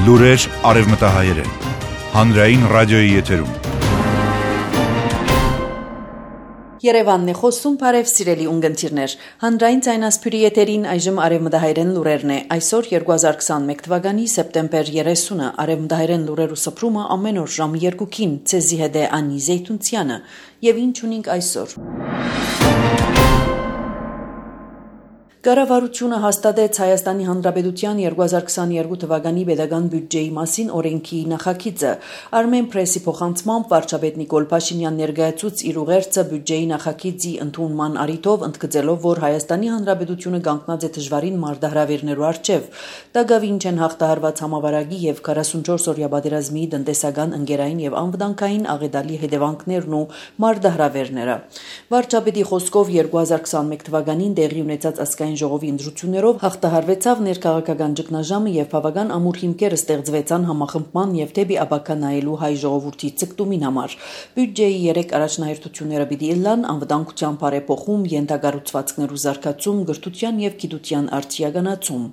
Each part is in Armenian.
Լուրեր արևմտահայերեն, հանրային ռադիոյի եթերում։ Երևանն է խոսում, բարև սիրելի ունգընտիրներ, հանրային ձայնասփյուրի եթերին այժմ արևմտահայերեն լուրերն է, այսօր 2021 թվականի սեպտեմբեր 30-ը, արևմտահայերեն լուրերու սփռումը ամեն օր ժամ 2-ին, ցեզի հետ է Անի Զեյթունցյանը, եւ ինչ ունենք այսօր։ Կառավարությունը հաստատեց Հայաստանի Հանրապետության 2022 թվականի պետական բյուջեի մասին օրենքի նախագիծը։ Armen Press-ի փոխանցմամբ վարչապետ Նիկոլ Փաշինյան ներկայացուց իր ուղերձը բյուջեի նախագիծի ընդունման առիթով, ընդգծելով, որ Հայաստանի Հանրապետությունը կանգնած է դժվարին մարտահրավերներու առջև։ Դագավին չեն հաղթահարված համավարակի եւ 44-օրյա պատերազմի տնտեսական, ընկերային եւ անվտանգային աղետալի հետևանքներն ու մարտահրավերները։ Վարչապետի խոսքով 2021 թվականին տեղի ունեցած ազգային ժողովի ընտրություններով հաղթահարվեցավ ներքաղաքական ճգնաժամը եւ բավական ամուր հիմքեր ստեղծվեցան համախմբման եւ դեպի ապակա նայելու հայ ժողովրդի ցկտումին համար։ Բյուջեի 3 առաջնահերթությունները պիտի ըլլան անվտանգության բարեփոխում, յենթակառուցվածքներու զարգացում, գրթության եւ գիտության արդիականացում։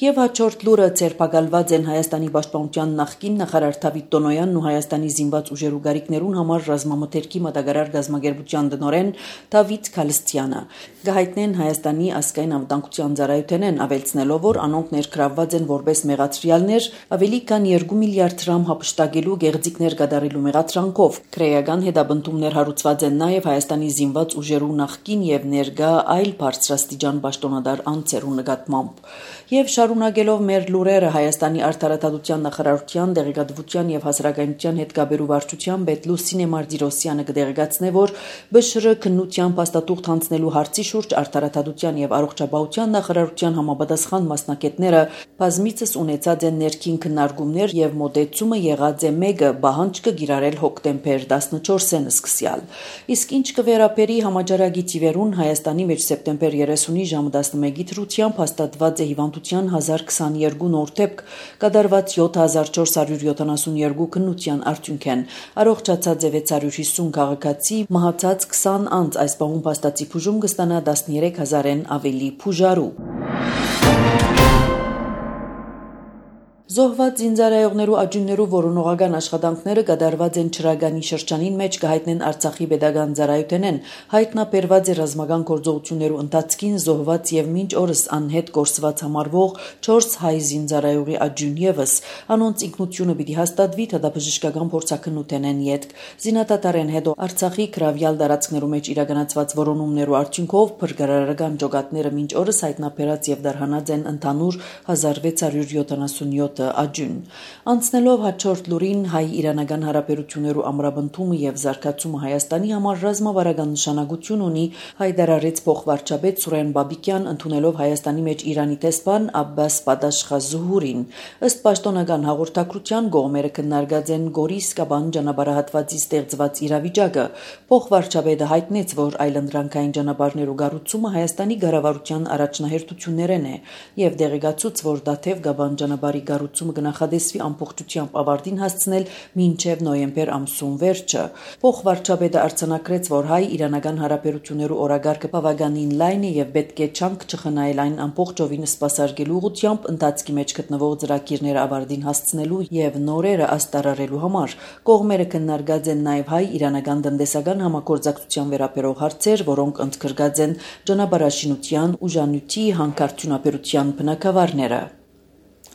Եվ հաջորդ լուրը ցերպակալված են Հայաստանի պաշտպանության նախկին նախարար Դավիթ Տոնոյանն ու Հայաստանի զինված ուժերու գարիկներուն համար ռազմամթերքի մատակարար գազագերբության տնօրեն Դավիթ Քալստյանը։ Գահիտնեն Հայաստանի ազգային անվտանգության ծառայությունեն ավելցնելով, որ անոնք ներգրավված են որպես մեղադրյալներ ավելի քան 2 միլիարդ դրամ հափշտակելու գեղձիկներ կատարելու մեղադրանքով։ Քրեական հետապնդումներ հարուցված են նաև Հայաստանի զինված ուժերու նախկին եւ ներկա այլ բարձրաստիճան պաշտոնատար անձերու նկատմամբ։ Եվ շարունակելով մեր լուրերը Հայաստանի արտարադատության նախարարության դեղեկատվության եւ հասարակայնության հետ կապերու վարչության պետ Լուսինե Մարտիրոսյանը կդեղեկացնե, որ ԲՇՌ քննության փաստաթուղթ հանձնելու հարցի շուրջ արտարադատության եւ առողջապահության նախարարության համապատասխան մասնակիցները բազմիցս ունեցած են ներքին քննարկումներ եւ մոտեցումը եղած է մեկը բահանջ կիրառել հոկտեմբեր 14-ին սկսյալ։ Իսկ ինչ կվերապերի համաճարակի թիվերուն Հայաստանի մեջ սեպտեմբեր 30-ի ժամը 11-ի դրությամբ հաստատված է հիվանդության 1022 նոր դեպք, կատարված 7472 քննության արդյունքեն, առողջացած է 650 քաղաքացի, մահացած 20 անձ, այս պահում փաստացի բուժում կստանա 13000-ն ավելի բուժարու։ Զոհված զինծառայողներու աջուններու որոնողական աշխատանքները կատարված են Չրագանի շրջանին մեջ կհայտնեն Արցախի պետական ծառայությունեն, հայտնաբերված է ռազմական գործողություններու ընթացքին զոհված եւ մինչ օրս անհետ կորսված համարվող 4 հայ զինծառայողի աջուն եւս, անոնց ինքնությունը պիտի հաստատվի դատաբժշկական փորձաքննութենեն յետք։ Զինադատարեն հետո Արցախի գրավյալ տարածքներու մեջ իրականացված որոնումներու արդյունքով փրկարարական ջոկատները մինչ օրս հայտնաբերած եւ դարհանած են ընդհանուր 1677 աջուն։ Անցնելով հաջորդ լուրին հայ-իրանական հարաբերություններու ամրապնդումը եւ զարգացումը Հայաստանի համար ռազմավարական նշանակություն ունի, հայտարարեց փոխվարչապետ Սուրեն Բաբիկյան, ընդունելով Հայաստանի մեջ Իրանի տեսփան Աբբաս Պատաշխազուհուրին։ Ըստ պաշտոնական հաղորդակցության կողմերը քննարկած են Գորիս-Կաբան ճանապարհահատվածի ստեղծված իրավիճակը։ Փոխվարչապետը հայտնեց, որ այլընտրանքային ճանապարհներու կառուցումը Հայաստանի կառավարության առաջնահերթություններն է եւ դեղեկացուց, որ Դաթև Կաբան ճանապարհի կառուցումը կնախադեсվի ամբողջությամբ ավարտին հասցնել մինչև նոյեմբեր ամսուն վերջը։ Փոխվարչապետը արձանագրեց, որ հայ-իրանական հարաբերություններու օրագարկը բավականին լայն է եւ պետք է չանք չխնայել այն ամբողջովին սպասարկելու ուղղությամբ ընթացքի մեջ գտնվող ծրագիրները ավարտին հասցնելու եւ նորերը աստարարելու համար։ Կողմերը քննարկած են նաեւ հայ-իրանական տնտեսական համագործակցության վերաբերող հարցեր, որոնք ընդգրկած են ճանապարհաշինության, ուժանյութի, հանքարդյունաբերության բնագավառները։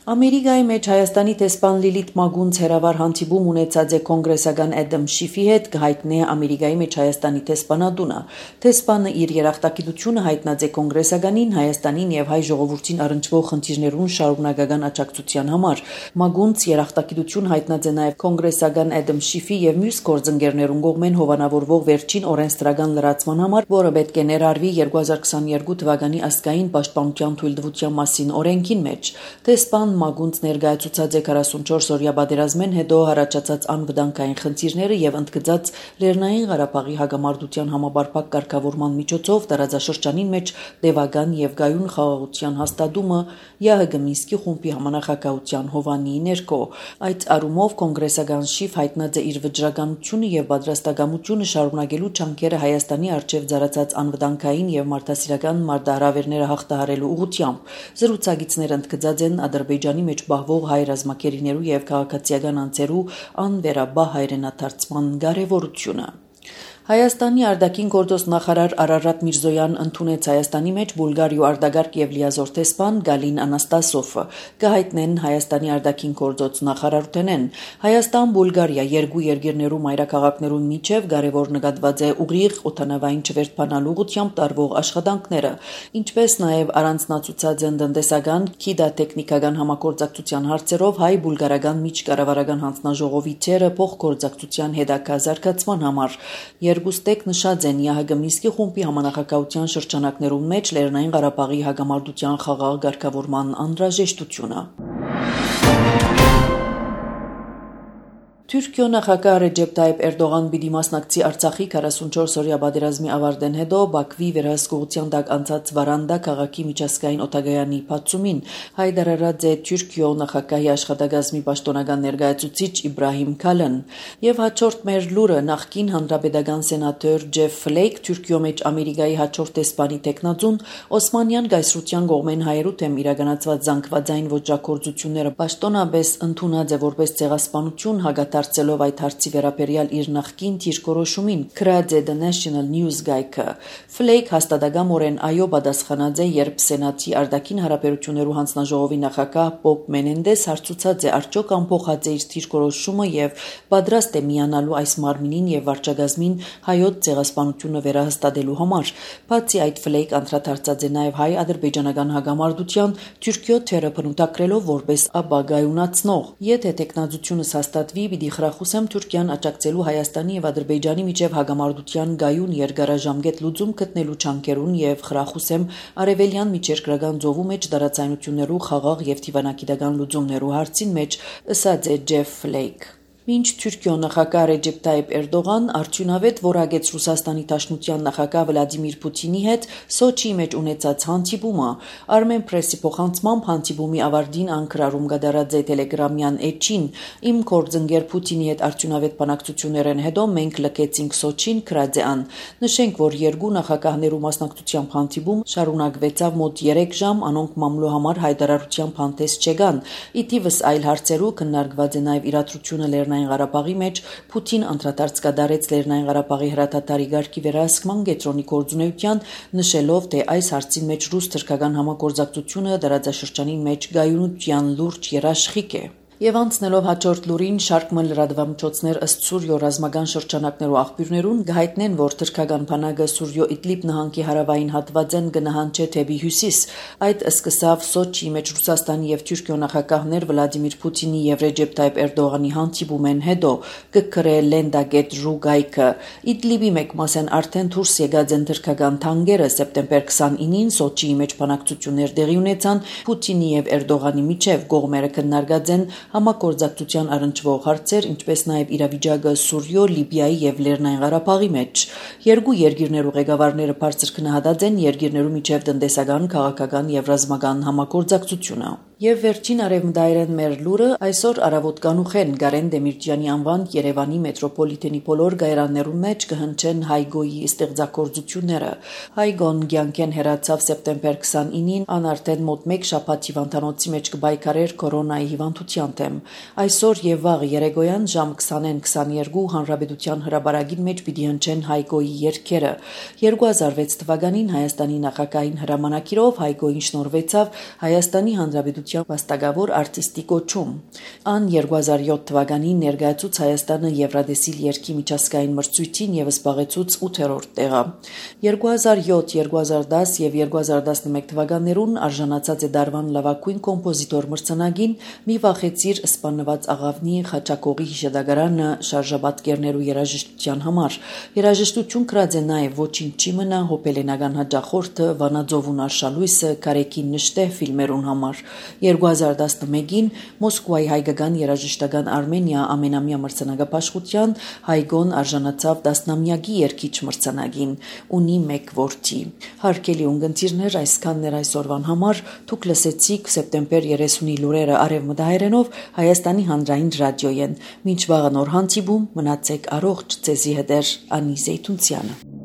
Ամերիկայի մեջ Հայաստանի տեսփան Լիլիթ Մագունց հերավար հանդիպում ունեցած է կոնգրեսական Էդամ Շիֆի հետ, կհայտնի Ամերիկայի մեջ Հայաստանի տեսփանատունը։ Տեսփանը իր երախտագիտությունը հայտնած է կոնգրեսականին, Հայաստանին եւ հայ ժողովրդին առնչվող խնդիրներուն շարունակական աջակցության համար։ Մագունց երախտագիտություն հայտնած է նաեւ կոնգրեսական Էդամ Շիֆի եւ մյուս գործընկերներուն կողմեն հովանավորվող վերջին օրենսդրական լրացման համար, որը պետք է ներառվի 2022 թվականի ազգային պաշտպանության թույլտվության մասին օրենքին մեջ։ Տեսփան Մագունց ներկայացուցած է 44-օրյա պատերազմեն հետո առաջացած անվտանգային խնդիրները եւ ընդգծած Լեռնային Ղարաբաղի հակամարտության համապարփակ կարգավորման միջոցով տարածաշրջանին մեջ տևական եւ գայուն խաղաղության հաստատումը ԵՀԳ Մինսկի խումբի համանախագահության հովանի ներքո։ Այդ առումով կոնգրեսական Շիֆ հայտնած է իր վճռականությունը եւ պատրաստակամությունը շարունակելու ջանքերը Հայաստանի արչեւ ծառացած անվտանգային եւ մարդասիրական մարտահրավերները հաղթահարելու ուղղությամբ։ Զրուցակիցները ընդգծած են Ադրբեջանի Ադրբեջանի մեջ բահվող հայ ռազմակերիներու եւ քաղաքացիական անձերու անվերաբահ հայրենադարձման կարեւորությունը։ Հայաստանի արտաքին գործոստ նախարար Արարատ Միրզոյան ընդունեց Հայաստանի մեջ Բուլղարիու արտագաղթ եւ լիազոր տեսփան Գալին Անաստասովը կհայտնեն Հայաստանի արտաքին գործոստ նախարարութենեն Հայաստան-Բուլղարիա երկու երկիրներու մայրաքաղաքներուն միջև կարևոր նկատված է ուղիղ օդանավային չվերթանալու ուղղությամբ տարվող աշխատանքները, ինչպես նաեւ առանձնացուցած են տնտեսական, քիդատեխնիկական համագործակցության հարցերով հայ-բուլղարական միջկառավարական հանձնաժողովի թերը փոխգործակցության հետագա զարգացման համար։ Երկուստեք նշած են ՀՀԳ Մինսկի խումբի համանախագահության շրջանակներում մեջ Լեռնային Ղարաբաղի հակամարտության խաղաղ ղեկավարման անհրաժեշտությունը։ Թուրքիո նախագահ Ռեջեփ Թայիփ Էրդողան պիտի մասնակցի Արցախի 44-օրյա պատերազմի ավարտեն հետո Բաքվի վերահսկողության տակ անցած Վարանդա քաղաքի միջազգային օդանավակայանի բացումին հայտարարած է Թուրքիո նախագահի աշխատակազմի պաշտոնական ներկայացուցիչ Իբրահիմ Քալան եւ հաջորդ մեր լուրը նախկին հանրապետական սենատոր Ջեֆ Ֆլեյք Թուրքիո մեջ Ամերիկայի հաջորդ տեսփանի տեխնատուն Օսմանյան գայսրության կողմեն հայերու թեմ իրականացված զանգվածային ոճրագործությունները պաշտոնապես ընդունած է որպես ցեղասպանություն հագադարձելով այդ հարցի վերաբերյալ իր նախկին դիրքորոշումին գրած է The National News գայքը Ֆլեյք հաստատակամորեն այո պատասխանած է երբ սենատի արտաքին հարաբերություններու հանձնաժողովի նախագահ Բոբ Մենենդես հարցուցած է արդյոք ամփոխած է իր դիրքորոշումը եւ պատրաստ է միանալու այս մարմինին եւ վարչագազմին հայոց ցեղասպանությունը վերահաստատելու համար բացի այդ Ֆլեյք անդրադարձած է նաեւ հայ-ադրբեջանական հագամարտության Թուրքիո թերը բնութագրելով որպես ապագայունացնող եթե տեխնազությունս հաստատվի պիտի խրախուսեմ Թուրքիան աջակցելու Հայաստանի եւ Ադրբեջանի միջև հագամարտության գայուն երկարաժամկետ լուծում գտնելու չանքերուն եւ խրախուսեմ արևելյան միջերկրական ծովու մեջ դարացայնություններու խաղաղ եւ դիվանագիտական լուծումներու հարցին մեջ ըսած է Ջեֆ Ֆլեյք Մինչ Թուրքիո նախագահ Ռեջեփ Թայիփ Էրդողան արդյունավետ որակեց Ռուսաստանի Դաշնության նախագահ Վլադիմիր Պուտինի հետ Սոչիի մեջ ունեցած հանդիպումը Armen Press-ի փոխանցմամբ հանդիպումի ավարտին անկրարում կդարած է Telegram-յան էջին իմ կորձընկեր Պուտինի հետ արդյունավետ բանակցություններն հետո մենք լքեցինք Սոչին գրած է ան նշենք որ երկու նախագահներու մասնակցությամբ հանդիպում շարունակվեցավ մոտ 3 ժամ անոնք մամլո համար հայտարարությամբ հանդես չեկան իդիվս այլ հարցերու քննարկված է նաև իրադրությունը Լեռնային Ղարաբաղի մեջ Պուտին անդրադարձ կատարեց Լեռնային Ղարաբաղի հրադադարի ղեկի վերահսկման կենտրոնի գործունեության նշելով թե այս հարցին մեջ ռուս-թուրքական համագործակցությունը դարաձաշրջանի մեջ գայունության լուրջ երաշխիք է Եվ անցնելով հաջորդ լուրին շարք լրատվամիջոցներ ըստ Սուրյո ռազմական շրջանակներու աղբյուրներուն գահիտնեն, որ թրքական բանակը Սուրյո Իդլիբ նահանգի հարավային հատվածեն կնահանջե թեպի հյուսիս։ Այդ սկսավ Սոչիի մեջ Ռուսաստանի եւ Թուրքիո նախագահներ Վլադիմիր Պուտինի եւ Ռեջեփ Թայիփ Էրդողանի հանդիպումեն հետո կգրե Լենդագետ Ռուգայքը Իդլիբի մեկ մասեն արդեն դուրս եկած են թրքական թանկերը սեպտեմբեր 29-ին Սոչիի մեջ բանակցություններ տեղի ունեցան Պուտինի եւ Էրդողանի միջև կողմերը քննարկած են համագործակցության առնչվող հարցեր, ինչպես նաև իրավիճակը Սուրյո, Լիբիայի եւ Լեռնային Ղարաբաղի մեջ։ Երկու երկիրներու ղեկավարները բարձր քննադատած են երկիրներու միջև տնտեսական, քաղաքական եւ ռազմական համագործակցությունը։ Եվ վերջին արևմտայրեն մեր լուրը այսօր առավոտ կանուխեն Գարեն Դեմիրճյանի անվան Երևանի մետրոպոլիտենի բոլոր գայարաններուն մեջ կհնչեն Հայգոյի ստեղծագործությունները։ Հայգոն կյանքեն հեռացավ սեպտեմբեր 29-ին, ան արդեն մոտ 1 շաբաթ հիվանդանոցի մեջ կբայքարեր կորոնայի հիվանդության դեմ։ Այսօր եւ վաղ երեկոյան ժամ 20:22 Հանրապետության հրապարակին մեջ պիտի հնչեն Հայգոյի երգերը։ 2006 թվականին Հայաստանի նախագահային հրամանակիրով Հայգոյին շնորհվեցավ Հայաստանի Հանրապետության վաստակավոր արտիստի կոչում։ Ան 2007 թվականին ներկայացուց Հայաստանը Եվրադեսիլ երգի միջազգային մրցույթին եւ զբաղեցուց 8-րդ տեղը։ 2007, 2010 եւ 2011 թվականներուն արժանացած է դարվան լավագույն կոմպոզիտոր մրցանակին մի վախեցիր սպանված աղավնի Խաչակողի հիշադակարանը շարժապատկերներու երաժշտության համար։ Երաժշտություն գրած է նաեւ Ոչինչ չի մնա հոպելենական հաջախորդը Վանաձովուն արշալույսը Կարեկին նշտե ֆիլմերուն համար։ 2011-ին Մոսկվայի հայկական երաժշտական Արմենիա ամենամյա մրցանակապաշխության Հայգոն արժանացավ 10-ամյակի երգիչ մրցանակին, ունի 1 որդի։ Հարգելի ունկնդիրներ, այսքանն էր այսօրվան համար, դուք լսեցիք սեպտեմբեր 30-ի լուրերը արևմտահայերենով Հայաստանի հանրային ռադիոյեն։ Մինչ վաղը նոր հանդիպում, մնացեք առողջ, ձեզի հետ Անի Զեյթունցյանը։